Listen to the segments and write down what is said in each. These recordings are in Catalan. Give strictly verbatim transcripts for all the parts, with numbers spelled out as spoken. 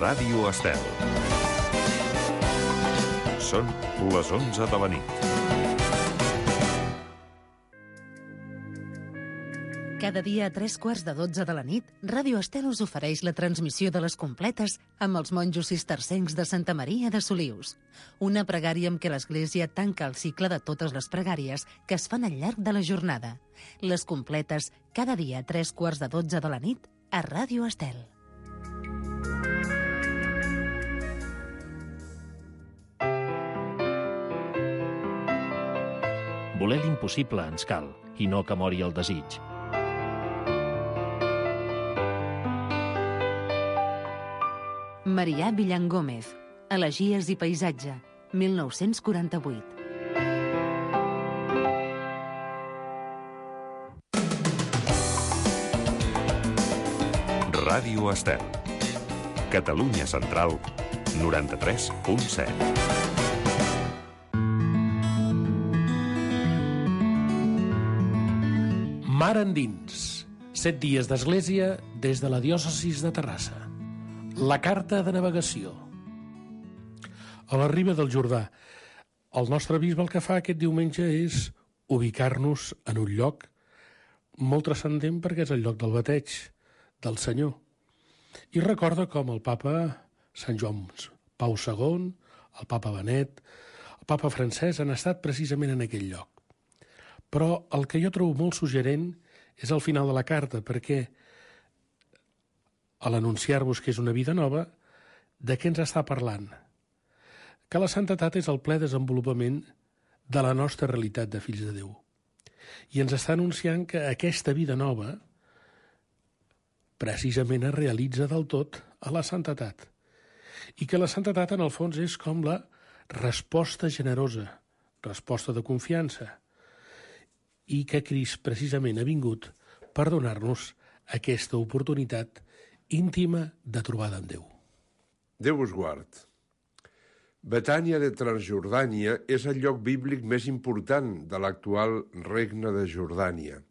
Ràdio Estel. Són les onze de la nit. Cada dia a tres quarts de dotze de la nit, Ràdio Estel us ofereix la transmissió de les completes amb els monjos cistercencs de Santa Maria de Solius. Una pregària amb què l'Església tanca el cicle de totes les pregàries que es fan al llarg de la jornada. Les completes, cada dia a tres quarts de dotze de la nit, a Ràdio Estel. Voler l'impossible ens cal, i no que mori el desig. Marià Villan Gómez, Elegies i paisatge, mil nou-cents quaranta-vuit. Ràdio Estel. Catalunya Central, noranta-tres punt set. Mar endins. Set dies d'església des de la diòcesis de Terrassa. La carta de navegació. A la riba del Jordà, el nostre bisbe el que fa aquest diumenge és ubicar-nos en un lloc molt transcendent perquè és el lloc del bateig del Senyor. I recorda com el papa Sant Joan Pau segon, el papa Benet, el papa Francesc han estat precisament en aquell lloc. Però el que jo trobo molt suggerent és al final de la carta, perquè a l'anunciar-vos que és una vida nova, de què ens està parlant? Que la santedat és el ple desenvolupament de la nostra realitat de fills de Déu. I ens està anunciant que aquesta vida nova precisament es realitza del tot a la santedat. I que la santedat, en el fons, és com la resposta generosa, resposta de confiança, i que Crist precisament ha vingut per donar-nos aquesta oportunitat íntima de trobada amb Déu. Déu us guard. Betània de Transjordània és el lloc bíblic més important de l'actual regne de Jordània.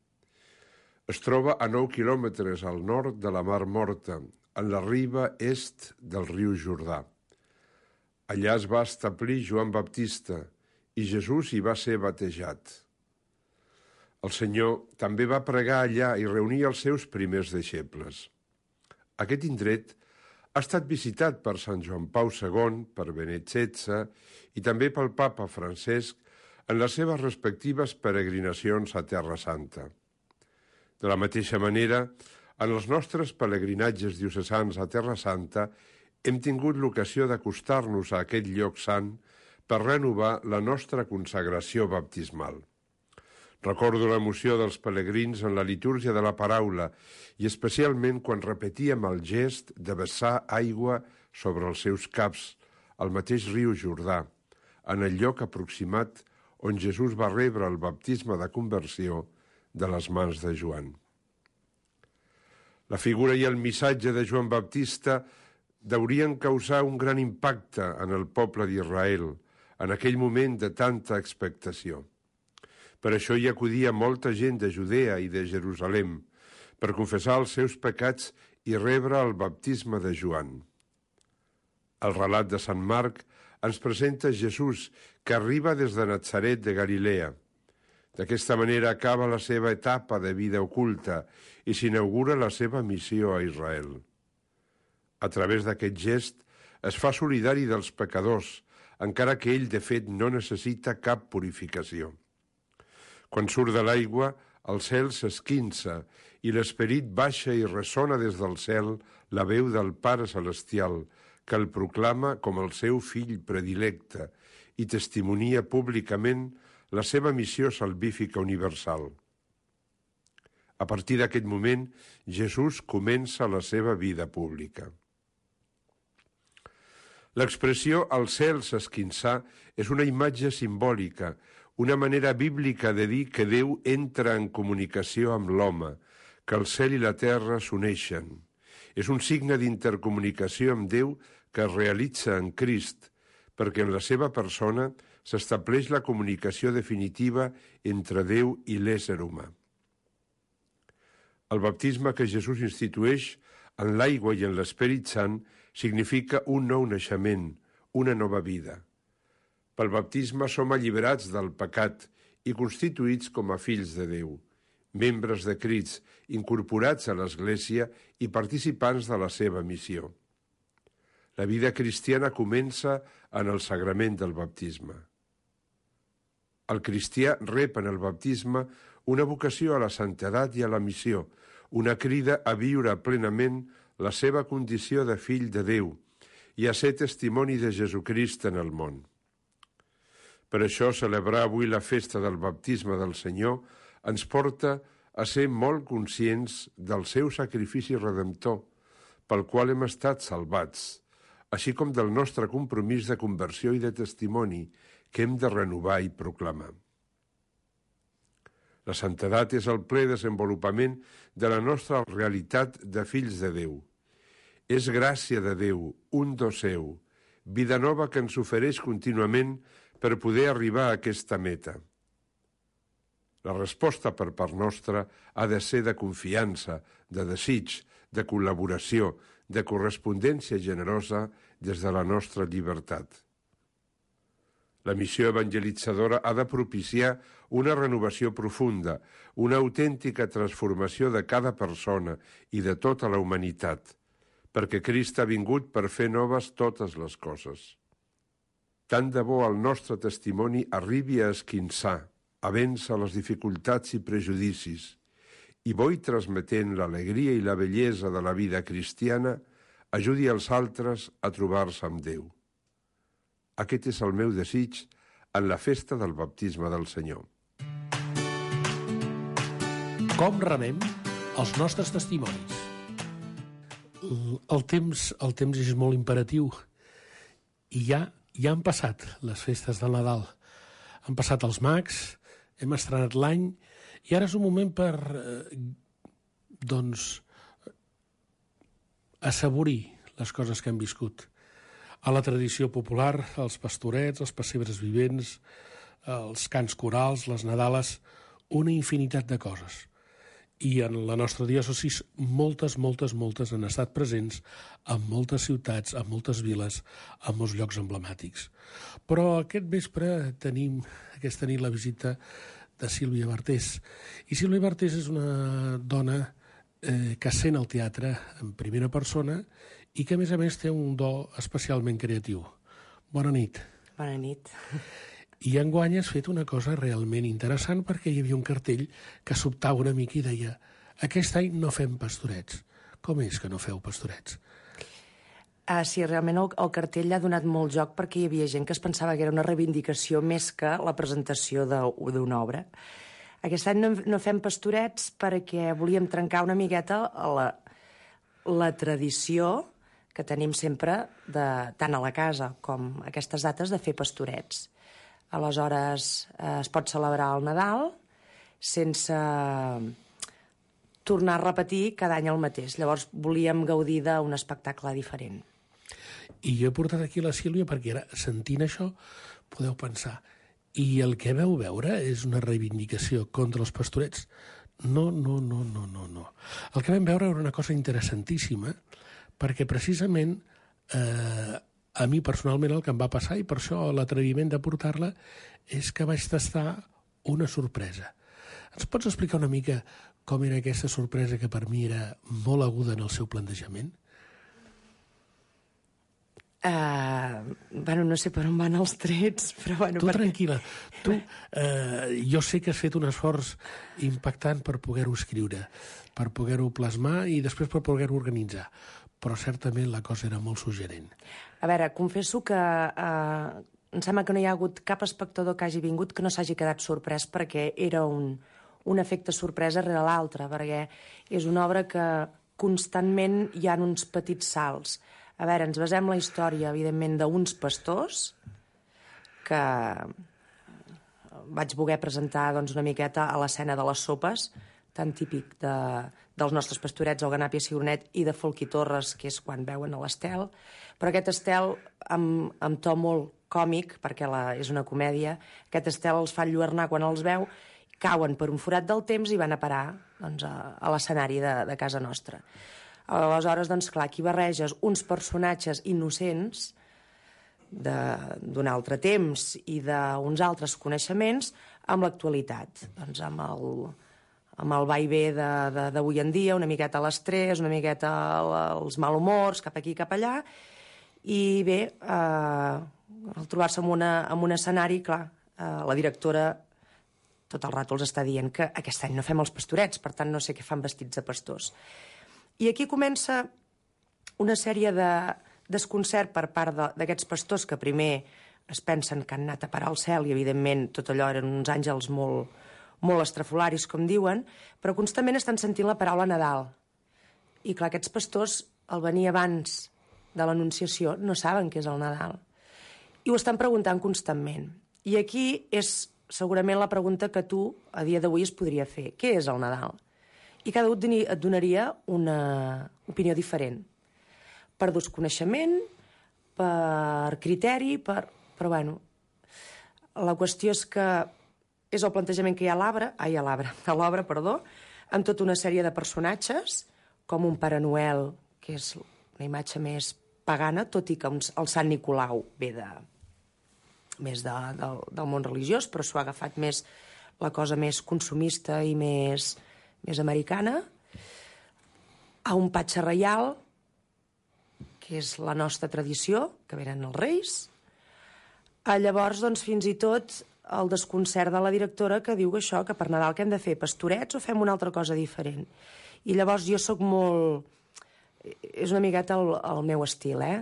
Es troba a nou quilòmetres al nord de la Mar Morta, en la riba est del riu Jordà. Allà es va establir Joan Baptista i Jesús hi va ser batejat. El Senyor també va pregar allà i reunir els seus primers deixebles. Aquest indret ha estat visitat per Sant Joan Pau segon, per Benet setze i també pel papa Francesc en les seves respectives peregrinacions a Terra Santa. De la mateixa manera, en els nostres pelegrinatges diocesans a Terra Santa hem tingut l'ocasió d'acostar-nos a aquest lloc sant per renovar la nostra consagració baptismal. Recordo l'emoció dels pelegrins en la litúrgia de la paraula i especialment quan repetíem el gest de vessar aigua sobre els seus caps al mateix riu Jordà, en el lloc aproximat on Jesús va rebre el baptisme de conversió de les mans de Joan. La figura i el missatge de Joan Baptista deurien causar un gran impacte en el poble d'Israel en aquell moment de tanta expectació. Per això hi acudia molta gent de Judea i de Jerusalem per confessar els seus pecats i rebre el baptisme de Joan. El relat de Sant Marc ens presenta Jesús que arriba des de Natzaret de Galilea. D'aquesta manera acaba la seva etapa de vida oculta i s'inaugura la seva missió a Israel. A través d'aquest gest es fa solidari dels pecadors, encara que ell de fet no necessita cap purificació. Quan surt de l'aigua, el cel s'esquinça i l'esperit baixa i ressona des del cel la veu del Pare Celestial, que el proclama com el seu fill predilecte i testimonia públicament la seva missió salvífica universal. A partir d'aquest moment, Jesús comença la seva vida pública. L'expressió «el cel s'esquinçar» és una imatge simbòlica, una manera bíblica de dir que Déu entra en comunicació amb l'home, que el cel i la terra s'uneixen. És un signe d'intercomunicació amb Déu que es realitza en Crist, perquè en la seva persona s'estableix la comunicació definitiva entre Déu i l'ésser humà. El baptisme que Jesús institueix en l'aigua i en l'Esperit Sant, significa un nou naixement, una nova vida. Pel baptisme som alliberats del pecat i constituïts com a fills de Déu, membres de Crist, incorporats a l'Església i participants de la seva missió. La vida cristiana comença en el sagrament del baptisme. El cristià rep en el baptisme una vocació a la santedat i a la missió, una crida a viure plenament la seva condició de fill de Déu i a ser testimoni de Jesucrist en el món. Per això, celebrar avui la festa del baptisme del Senyor ens porta a ser molt conscients del seu sacrifici redemptor, pel qual hem estat salvats, així com del nostre compromís de conversió i de testimoni que hem de renovar i proclamar. La santedat és el ple desenvolupament de la nostra realitat de fills de Déu. És gràcia de Déu, un do seu, vida nova que ens ofereix contínuament per poder arribar a aquesta meta. La resposta per part nostra ha de ser de confiança, de desig, de col·laboració, de correspondència generosa des de la nostra llibertat. La missió evangelitzadora ha de propiciar una renovació profunda, una autèntica transformació de cada persona i de tota la humanitat, perquè Crist ha vingut per fer noves totes les coses. Tant de bo el nostre testimoni arribi a esquinçar, a vèncer les dificultats i prejudicis, i bo i transmetent l'alegria i la bellesa de la vida cristiana, ajudi els altres a trobar-se amb Déu. Aquest és el meu desig en la festa del baptisme del Senyor. Com rebem els nostres testimonis? El temps, el temps és molt imperatiu i ja, ja han passat les festes del Nadal. Han passat els mags, hem estrenat l'any i ara és un moment per, eh, doncs, assaborir les coses que hem viscut. A la tradició popular, els pastorets, els pessebres vivents, els cants corals, les Nadales, una infinitat de coses. I en la nostra diòcesi moltes, moltes, moltes han estat presents en moltes ciutats, en moltes viles, en molts llocs emblemàtics. Però aquest vespre tenim aquesta nit la visita de Sílvia Bartés. I Sílvia Bartés és una dona eh, que sent el teatre en primera persona i que, a més a més, té un do especialment creatiu. Bona nit. Bona nit. I enguany has fet una cosa realment interessant perquè hi havia un cartell que sobtava una mica i deia aquest any no fem pastorets. Com és que no feu pastorets? Ah, sí, realment el, el cartell ha donat molt joc perquè hi havia gent que es pensava que era una reivindicació més que la presentació d'una obra. Aquest any no, no fem pastorets perquè volíem trencar una miqueta la, la tradició que tenim sempre, de, tant a la casa com a aquestes dates, de fer pastorets. Aleshores, eh, es pot celebrar el Nadal sense tornar a repetir cada any el mateix. Llavors, volíem gaudir d'un espectacle diferent. I jo he portat aquí la Sílvia perquè ara, sentint això, podeu pensar, i el que veu veure és una reivindicació contra els pastorets? No, no, no, no, no, no. El que vam veure era una cosa interessantíssima, perquè precisament eh, a mi personalment el que em va passar, i per això l'atreviment de portar-la, és que vaig tastar una sorpresa. Ens pots explicar una mica com era aquesta sorpresa que per mi era molt aguda en el seu plantejament? Uh, bueno, no sé per on van els trets, però bueno... Tu perquè... tranquil·la. Tu, uh, jo sé que has fet un esforç impactant per poder-ho escriure, per poder-ho plasmar i després per poder-ho organitzar. Però certament la cosa era molt suggerent. A veure, confesso que eh, em sembla que no hi ha hagut cap espectador que hagi vingut que no s'hagi quedat sorprès perquè era un, un efecte sorpresa rere l'altre, perquè és una obra que constantment hi ha uns petits salts. A veure, ens basem la història, evidentment, d'uns pastors que vaig voler presentar doncs, una miqueta a l'escena de les sopes, tan típic de, dels nostres pastorets, el Ganàpia Cigronet, i de Folch i Torres, que és quan veuen a l'Estel. Però aquest Estel, amb, amb to molt còmic, perquè la, és una comèdia, aquest Estel els fa enlluernar quan els veu, cauen per un forat del temps i van a parar doncs, a, a l'escenari de, de casa nostra. Aleshores, doncs, clar, aquí barreges uns personatges innocents d'un altre temps i d'uns altres coneixements amb l'actualitat, doncs amb el, amb el va i ve d'avui en dia, una miqueta l'estrès, una miqueta els malhumors, cap aquí, cap allà, i bé, eh, al trobar-se en, una, en un escenari, clar, eh, la directora tot el rato els està dient que aquest any no fem els pastorets, per tant no sé què fan vestits de pastors. I aquí comença una sèrie de desconcert per part d'aquests pastors que primer es pensen que han anat a parar al cel i, evidentment, tot allò eren uns àngels molt, molt estrafolaris, com diuen, però constantment estan sentint la paraula Nadal. I, clar, aquests pastors, al venir abans de l'Anunciació, no saben què és el Nadal. I ho estan preguntant constantment. I aquí és segurament la pregunta que tu, a dia d'avui, es podria fer. Què és el Nadal? I cada un et donaria una opinió diferent. Per desconeixement, per criteri, per... però bueno, la qüestió és que és el plantejament que hi ha a l'arbre, ai, a l'arbre, a l'obra, perdó, amb tota una sèrie de personatges, com un Pare Noel, que és una imatge més pagana, tot i que el Sant Nicolau ve de, més de, del, del món religiós, però s'ho ha agafat més la cosa més consumista i més, més americana, a un Patge Reial, que és la nostra tradició, que venen els Reis. A llavors, doncs, fins i tot el desconcert de la directora que diu que això, que per Nadal que hem de fer pastorets o fem una altra cosa diferent. I llavors jo sóc molt... És una miqueta el, el meu estil, eh?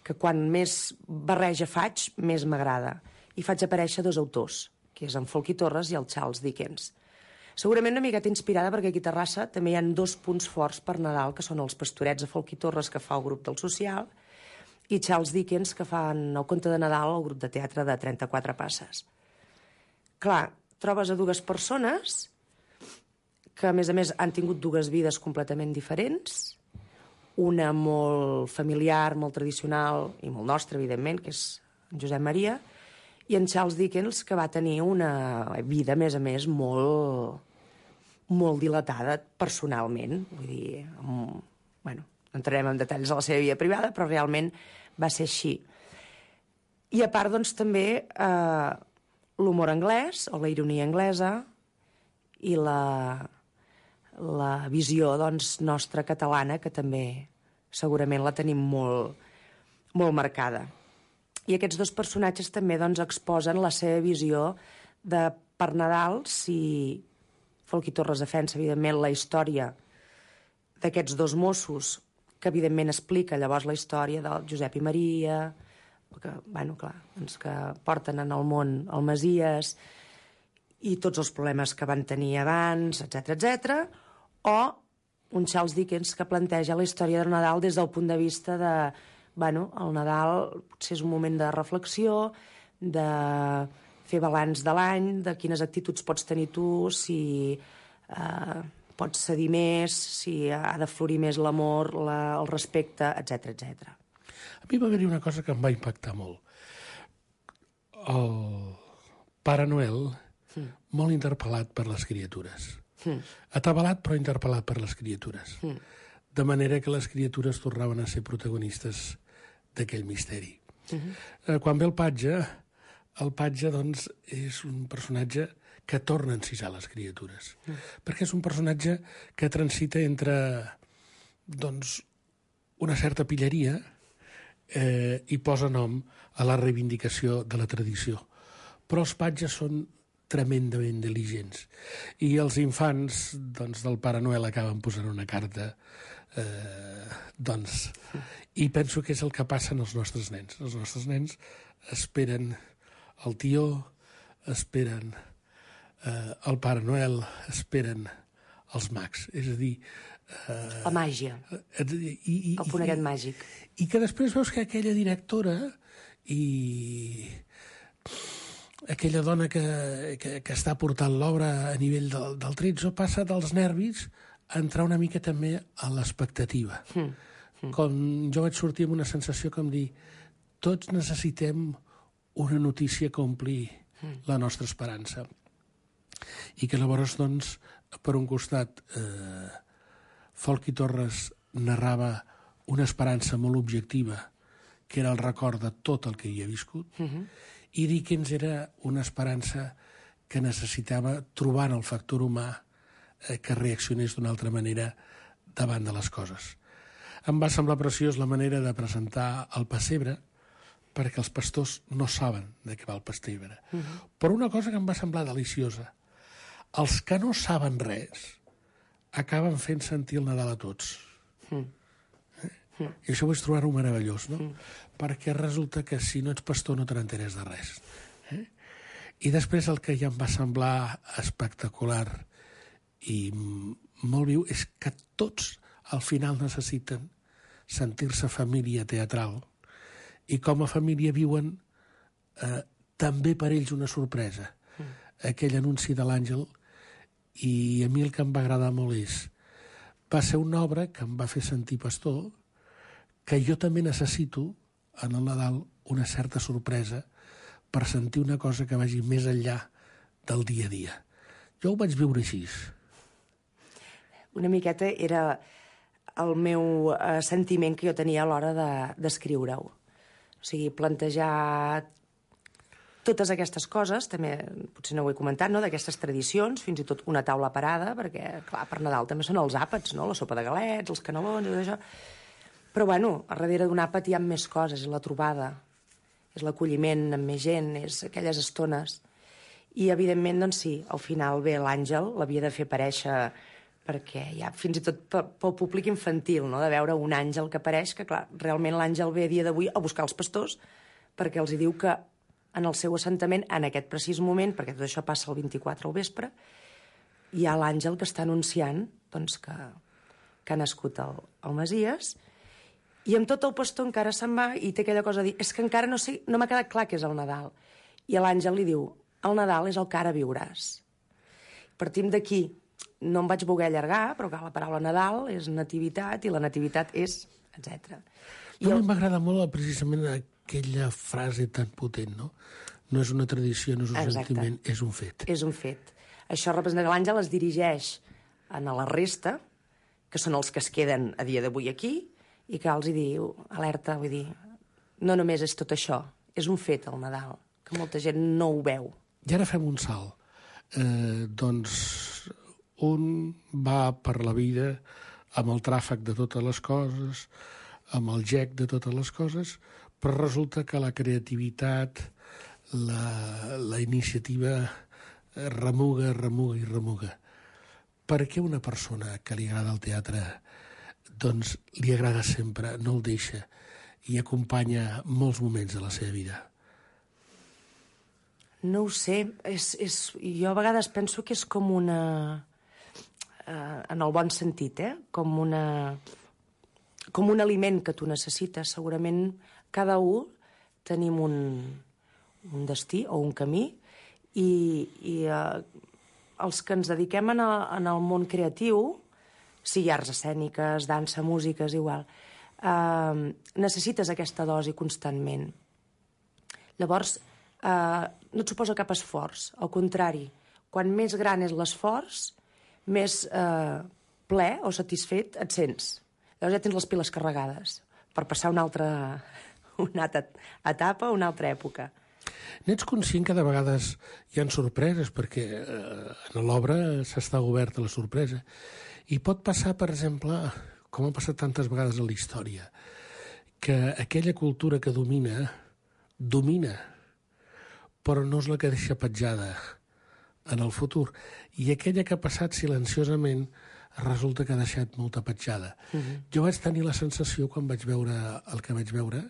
Que quan més barreja faig, més m'agrada. I faig aparèixer dos autors, que és en Folky Torres i el Charles Dickens. Segurament una miqueta inspirada perquè aquí a Terrassa també hi ha dos punts forts per Nadal, que són els pastorets de Folky Torres, que fa el grup del Social, i Charles Dickens, que fan el conte de Nadal al grup de teatre de trenta-quatre passes. Clar, trobes a dues persones que, a més a més, han tingut dues vides completament diferents, una molt familiar, molt tradicional i molt nostra, evidentment, que és en Josep Maria, i en Charles Dickens, que va tenir una vida, a més a més, molt... molt dilatada personalment, vull dir, amb, bueno, no entrarem en detalls de la seva vida privada, però realment va ser així. I a part, doncs, també eh, l'humor anglès, o la ironia anglesa, i la, la visió, doncs, nostra catalana, que també segurament la tenim molt, molt marcada. I aquests dos personatges també, doncs, exposen la seva visió de per Nadal, si... Folky Torres defensa, evidentment, la història d'aquests dos Mossos, que, evidentment, explica llavors la història del Josep i Maria, que, bueno, clar, doncs que porten en el món el Masies, i tots els problemes que van tenir abans, etcètera, etcètera, o un Charles Dickens que planteja la història del Nadal des del punt de vista de, bueno, el Nadal potser és un moment de reflexió, de... fer balanç de l'any, de quines actituds pots tenir tu, si eh, pots cedir més, si ha de florir més l'amor, la, el respecte, etcètera, etcètera. A mi va haver-hi una cosa que em va impactar molt. El Pare Noel, mm. molt interpel·lat per les criatures. Mm. Atabalat, però interpel·lat per les criatures. Mm. De manera que les criatures tornaven a ser protagonistes d'aquell misteri. Mm-hmm. Eh, quan ve el Patge... El Patge, doncs, és un personatge que torna a encisar les criatures. Mm. Perquè és un personatge que transita entre, doncs, una certa pilleria eh, i posa nom a la reivindicació de la tradició. Però els patges són tremendament diligents. I els infants, doncs, del Pare Noel acaben posant una carta, eh, doncs... I penso que és el que passa en els nostres nens. Els nostres nens esperen... el tió, esperen eh, el Pare Noel, esperen els mags. És a dir... Eh, la màgia. Eh, i, i, el punt aquest màgic. I que després veus que aquella directora i aquella dona que, que, que està portant l'obra a nivell del, del tretze passa dels nervis a entrar una mica també a l'expectativa. Mm. Mm. Com jo vaig sortir amb una sensació com dir tots necessitem una notícia que ompli la nostra esperança. I que llavors, doncs, per un costat, eh, Folky Torres narrava una esperança molt objectiva, que era el record de tot el que hi havia viscut, uh-huh. i Dickens era una esperança que necessitava trobar en el factor humà eh, que reaccionés d'una altra manera davant de les coses. Em va semblar preciós la manera de presentar el pessebre, perquè els pastors no saben de què va el pessebre. Uh-huh. Però una cosa que em va semblar deliciosa, els que no saben res acaben fent sentir el Nadal a tots. Uh-huh. Eh? Uh-huh. I això vaig trobar-ho meravellós, no? Uh-huh. Perquè resulta que si no ets pastor no te n'enteres de res. Eh? I després el que ja em va semblar espectacular i molt viu és que tots al final necessiten sentir-se família teatral i com a família viuen eh, també per ells una sorpresa. Mm. Aquell anunci de l'Àngel, i a mi el que em va agradar molt és va ser una obra que em va fer sentir pastor, que jo també necessito en el Nadal una certa sorpresa per sentir una cosa que vagi més enllà del dia a dia. Jo ho vaig viure així. Una miqueta era el meu eh, sentiment que jo tenia a l'hora d'escriure-ho. O sigui, plantejar totes aquestes coses, també potser no ho he comentat, no? D'aquestes tradicions, fins i tot una taula parada, perquè, clar, per Nadal també són els àpats, no? La sopa de galets, els canelons i tot això. Però, bueno, a darrere d'un àpat hi ha més coses, és la trobada, és l'acolliment amb més gent, és aquelles estones. I, evidentment, doncs sí, al final ve l'Àngel, l'havia de fer aparèixer perquè hi ha fins i tot pel públic infantil, no? De veure un àngel que apareix, que clar, realment l'àngel ve a dia d'avui a buscar els pastors perquè els hi diu que en el seu assentament, en aquest precís moment, perquè tot això passa el vint-i-quatre al vespre, hi ha l'àngel que està anunciant doncs, que, que ha nascut el, el Messies, i amb tot el pastor encara se'n va i té aquella cosa de dir, és que encara no sé, no m'ha quedat clar que és el Nadal. I l'àngel li diu, el Nadal és el que ara viuràs. Partim d'aquí. No em vaig voler allargar, però clar, la paraula Nadal és nativitat i la nativitat és etcètera. No, el... m'agrada molt precisament aquella frase tan potent, no? No és una tradició, no és un Exacte. Sentiment, és un fet. És un fet. Això representa que l'àngel es dirigeix a la resta, que són els que es queden a dia d'avui aquí, i que els hi diu, alerta, vull dir, no només és tot això, és un fet el Nadal, que molta gent no ho veu. I ara fem un salt. Eh, doncs... Un va per la vida amb el tràfic de totes les coses, amb el gec de totes les coses, però resulta que la creativitat, la, la iniciativa remuga, remuga i remuga. Per què una persona que li agrada el teatre doncs li agrada sempre, no el deixa i acompanya molts moments de la seva vida? No ho sé. És, és, jo a vegades penso que és com una... en el bon sentit, eh? com, una, com un aliment que tu necessites. Segurament cada un tenim un, un destí o un camí i, i eh, els que ens dediquem en el, en el món creatiu, sigui arts escèniques, dansa, música, és igual, eh, necessites aquesta dosi constantment. Llavors, eh, no et suposa cap esforç. Al contrari, quan més gran és l'esforç, més eh, ple o satisfet et sents. Llavors ja tens les piles carregades per passar una altra, una altra etapa, una altra època. N'ets conscient que de vegades hi ha sorpreses, perquè eh, en l'obra s'està oberta la sorpresa. I pot passar, per exemple, com ha passat tantes vegades en la història, que aquella cultura que domina, domina, però no és la que deixa petjada en el futur. I aquella que ha passat silenciosament resulta que ha deixat molta petjada. Uh-huh. Jo vaig tenir la sensació, quan vaig veure el que vaig veure,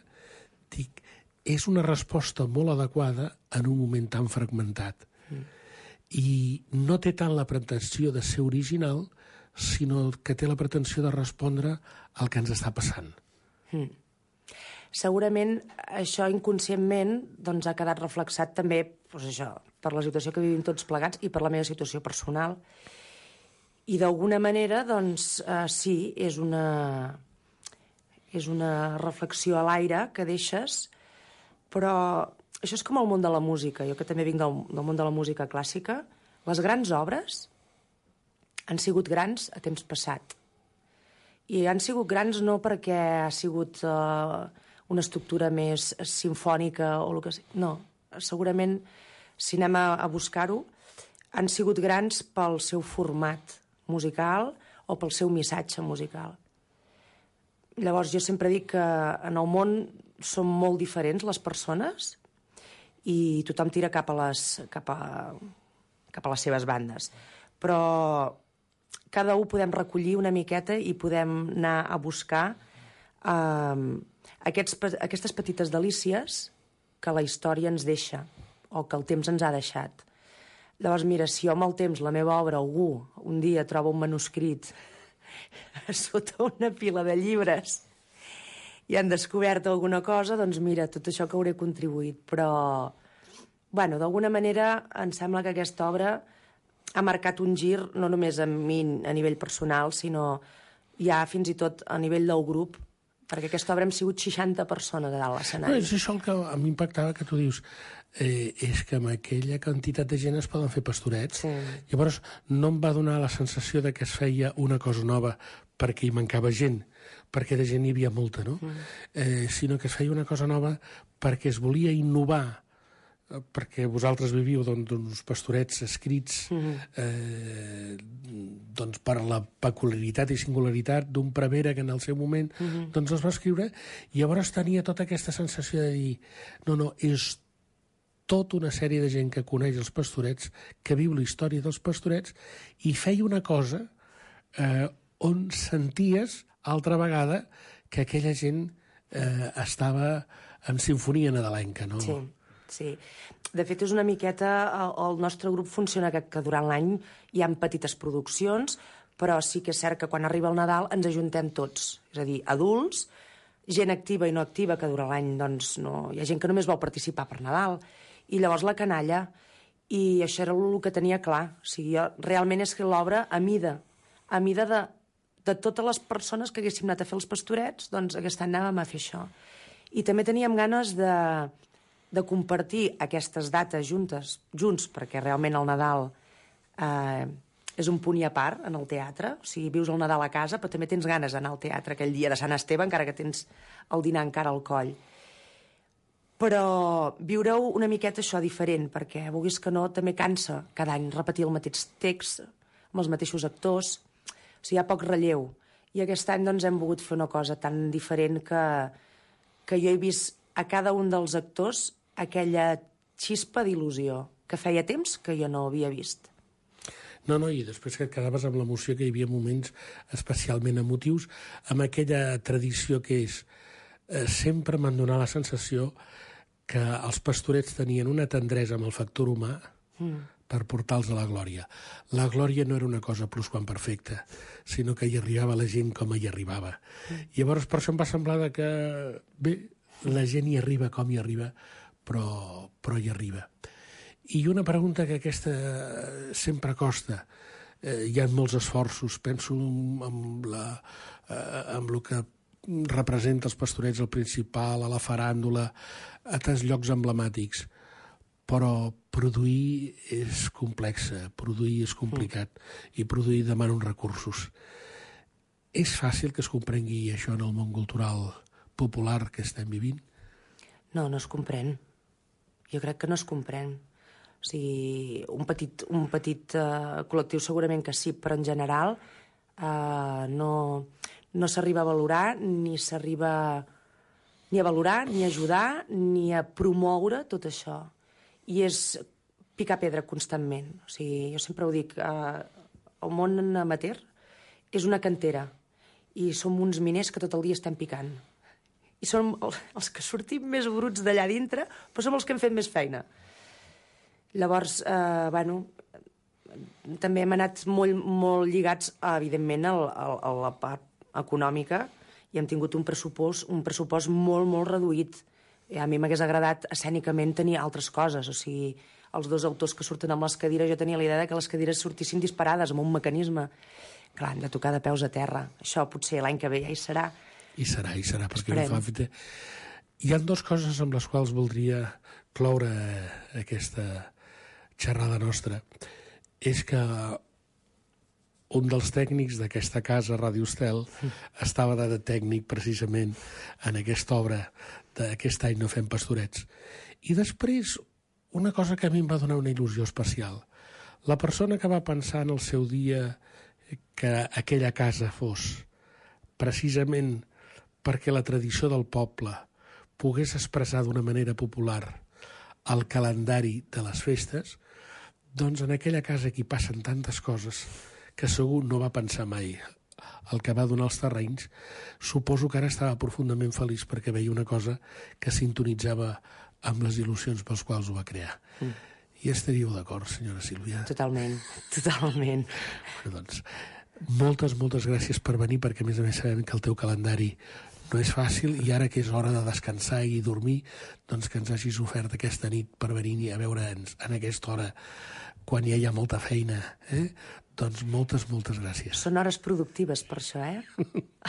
dic, és una resposta molt adequada en un moment tan fragmentat. Uh-huh. I no té tant la pretensió de ser original, sinó que té la pretensió de respondre al que ens està passant. Uh-huh. Segurament això inconscientment doncs, ha quedat reflexat també doncs això, per la situació que vivim tots plegats i per la meva situació personal. I d'alguna manera, doncs, eh, sí, és una, és una reflexió a l'aire que deixes, però això és com el món de la música. Jo que també vinc del, del món de la música clàssica, les grans obres han sigut grans a temps passat. I han sigut grans no perquè ha sigut uh, una estructura més simfònica o el que sigui. No, segurament, si anem a, a buscar-ho, han sigut grans pel seu format musical o pel seu missatge musical. Llavors, jo sempre dic que en el món som molt diferents les persones i tothom tira cap a les, cap a, cap a les seves bandes. Però cada un podem recollir una miqueta i podem anar a buscar eh, aquests, aquestes petites delícies que la història ens deixa o que el temps ens ha deixat. Llavors, mira, si jo amb el temps, la meva obra, algú un dia troba un manuscrit sota una pila de llibres i han descobert alguna cosa, doncs mira, tot això que hauré contribuït. Però, bueno, d'alguna manera em sembla que aquesta obra ha marcat un gir no només a mi a nivell personal, sinó ja fins i tot a nivell del grup, perquè aquesta obra hem sigut seixanta persones a dalt l'escenari. No, és això el que a mi impactava, que tu dius, eh, és que amb aquella quantitat de gent es poden fer pastorets. Sí. Llavors, no em va donar la sensació de que es feia una cosa nova perquè hi mancava gent, perquè de gent hi havia molta, no? Mm. Eh, sinó que es feia una cosa nova perquè es volia innovar, perquè vosaltres viviu d'uns pastorets escrits mm-hmm. eh, doncs per la peculiaritat i singularitat d'un prevere que en el seu moment mm-hmm. doncs els va escriure, i llavors tenia tota aquesta sensació de dir no, no, és tota una sèrie de gent que coneix els pastorets, que viu la història dels pastorets, i feia una cosa eh, on senties altra vegada que aquella gent eh, estava en sinfonia nadalenca, no? Sí. Sí. De fet, és una miqueta... El, el nostre grup funciona que, que durant l'any hi ha petites produccions, però sí que és cert que quan arriba el Nadal ens ajuntem tots. És a dir, adults, gent activa i no activa, que durant l'any doncs, no... hi ha gent que només vol participar per Nadal. I llavors la canalla. I això era el que tenia clar. O sigui, jo, realment és que l'obra, a mida, a mida de, de totes les persones que haguéssim anat a fer els pastorets, doncs aquest any anàvem a fer això. I també teníem ganes de... de compartir aquestes dates juntes, junts, perquè realment el Nadal eh, és un punt i a part en el teatre. O sigui, vius el Nadal a casa, però també tens ganes d'anar al teatre aquell dia de Sant Esteve, encara que tens el dinar encara al coll. Però viure-ho una miqueta això diferent, perquè vulguis que no, també cansa cada any repetir el mateix text amb els mateixos actors. O sigui, hi ha poc relleu. I aquest any doncs, hem volgut fer una cosa tan diferent que, que jo he vist a cada un dels actors aquella xispa d'il·lusió que feia temps que jo no havia vist. No, no, i després que et quedaves amb l'emoció, que hi havia moments especialment emotius, amb aquella tradició que és... Eh, sempre m'han donat la sensació que els pastorets tenien una tendresa amb el factor humà mm. per portar-los a la glòria. La glòria no era una cosa plusquamperfecta, sinó que hi arribava la gent com hi arribava. Mm. I llavors per això em va semblar que, bé, la gent hi arriba com hi arriba, però, però hi arriba. I una pregunta que aquesta sempre costa. Eh, hi ha molts esforços, penso en, la, eh, en el que representa els pastorets al Principal, a la faràndula, a tants llocs emblemàtics, però produir és complex, produir és complicat, mm. i produir demana uns recursos. És fàcil que es comprengui això en el món cultural popular que estem vivint? No, no es comprèn. Jo crec que no es comprèn. O sigui, un petit, un petit uh, col·lectiu segurament que sí, però en general uh, no, no s'arriba a valorar, ni s'arriba ni a valorar, ni a ajudar, ni a promoure tot això. I és picar pedra constantment. O sigui, jo sempre ho dic, uh, el món amateur és una cantera i som uns miners que tot el dia estem picant. I som els que sortim més bruts d'allà dintre, però som els que hem fet més feina. Llavors, eh, bueno, també hem anat molt, molt lligats, evidentment, a, a, a la part econòmica, i hem tingut un pressupost, un pressupost molt, molt reduït. I a mi m'hagués agradat escènicament tenir altres coses, o sigui, els dos autors que surten amb les cadires, jo tenia la idea que les cadires sortissin disparades amb un mecanisme. Clar, hem de tocar de peus a terra. Això potser l'any que ve ja hi serà. I serà, i serà, perquè no fa fita. Hi ha dues coses amb les quals voldria cloure aquesta xerrada nostra. És que un dels tècnics d'aquesta casa, Ràdio Estel, estava de tècnic precisament en aquesta obra d'aquest any No fem pastorets. I després, una cosa que a mi em va donar una il·lusió especial. La persona que va pensar en el seu dia que aquella casa fos precisament perquè la tradició del poble pogués expressar d'una manera popular el calendari de les festes, doncs en aquella casa aquí passen tantes coses que segur no va pensar mai el que va donar els terrenys. Suposo que ara estava profundament feliç perquè veia una cosa que sintonitzava amb les il·lusions pels quals ho va crear. Mm. I estaríeu d'acord, senyora Sílvia? Totalment, totalment. Bueno, doncs, moltes, moltes gràcies per venir, perquè a més a més sabem que el teu calendari no és fàcil i ara que és hora de descansar i dormir, doncs que ens hagis ofert aquesta nit per venir a veure'ns en aquesta hora quan ja hi ha molta feina, eh? Doncs moltes, moltes gràcies. Són hores productives per això, eh?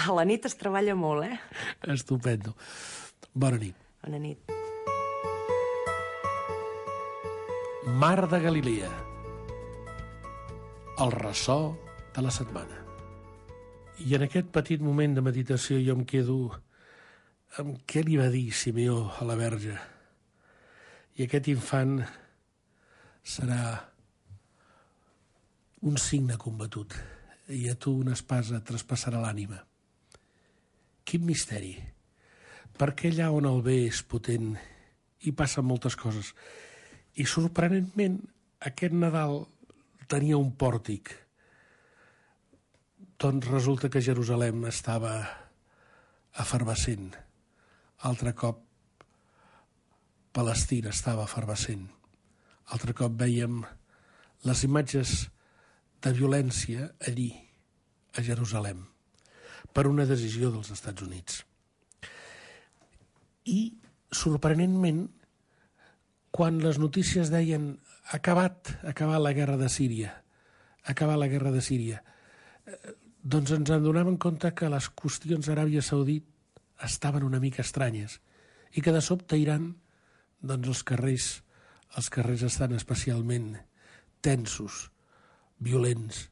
A la nit es treballa molt, eh? Estupendo. Bona nit. Bona nit. Mar de Galilea. El ressò de la setmana. I en aquest petit moment de meditació jo em quedo amb què li va dir Simeó a la Verge. I aquest infant serà un signe combatut i a tu una espasa traspassarà l'ànima. Quin misteri! Perquè allà on el bé és potent hi passen moltes coses. I sorprenentment aquest Nadal tenia un pòrtic. Doncs resulta que Jerusalem estava efervescent. Altre cop Palestina estava efervescent. Altre cop vèiem les imatges de violència allí, a Jerusalem, per una decisió dels Estats Units. I, sorprenentment, quan les notícies deien acabat, acabat la guerra de Síria, acabat la guerra de Síria, doncs ens en donàvem compte que les qüestions d'Aràbia Saudit estaven una mica estranyes i que de sobte Iran, doncs els carrers, els carrers estan especialment tensos, violents.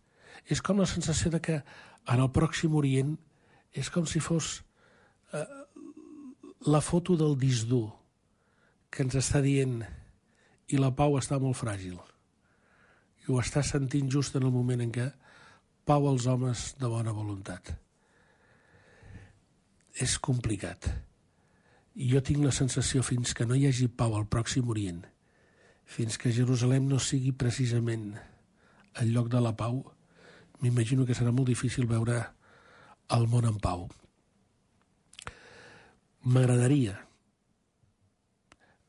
És com la sensació de que en el Pròxim Orient és com si fos eh, la foto del disc dur que ens està dient i la pau està molt fràgil. I ho està sentint just en el moment en què pau als homes de bona voluntat. És complicat. I jo tinc la sensació fins que no hi hagi pau al Pròxim Orient, fins que Jerusalem no sigui precisament el lloc de la pau, m'imagino que serà molt difícil veure el món en pau. M'agradaria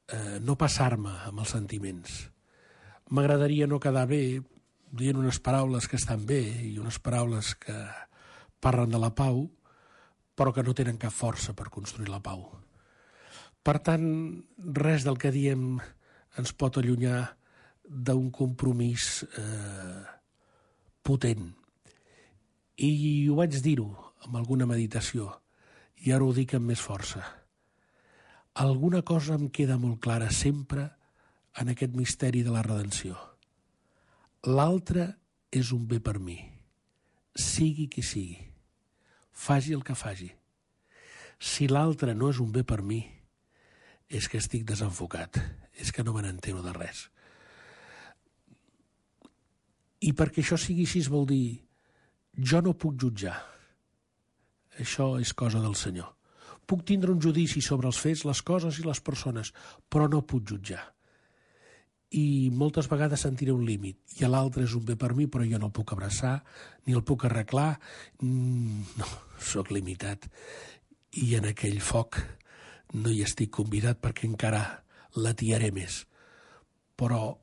eh, no passar-me amb els sentiments. M'agradaria no quedar bé dient unes paraules que estan bé i unes paraules que parlen de la pau, però que no tenen cap força per construir la pau. Per tant, res del que diem ens pot allunyar d'un compromís eh, potent. I ho vaig dir-ho amb alguna meditació, i ara ho dic amb més força. Alguna cosa em queda molt clara sempre en aquest misteri de la redenció. L'altre és un bé per mi, sigui qui sigui, faci el que faci. Si l'altre no és un bé per mi, és que estic desenfocat, és que no me n'entero de res. I perquè això sigui així vol dir jo no puc jutjar. Això és cosa del Senyor. Puc tindre un judici sobre els fets, les coses i les persones, però no puc jutjar. I moltes vegades sentiré un límit. I l'altre és un bé per mi, però jo no el puc abraçar, ni el puc arreglar. Mm, no, sóc limitat. I en aquell foc no hi estic convidat perquè encara l'atiaré més. Però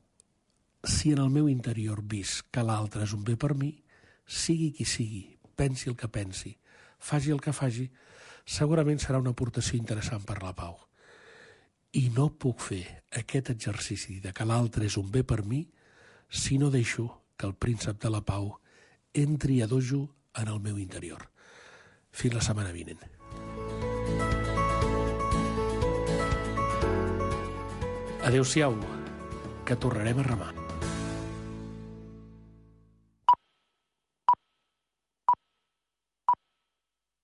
si en el meu interior visc que l'altre és un bé per mi, sigui qui sigui, pensi el que pensi, faci el que faci, segurament serà una aportació interessant per la pau. I no puc fer aquest exercici de que l'altre és un bé per mi si no deixo que el príncep de la pau entri a dojo en el meu interior. Fins la setmana vinent. Adéu-siau, que tornarem a remar.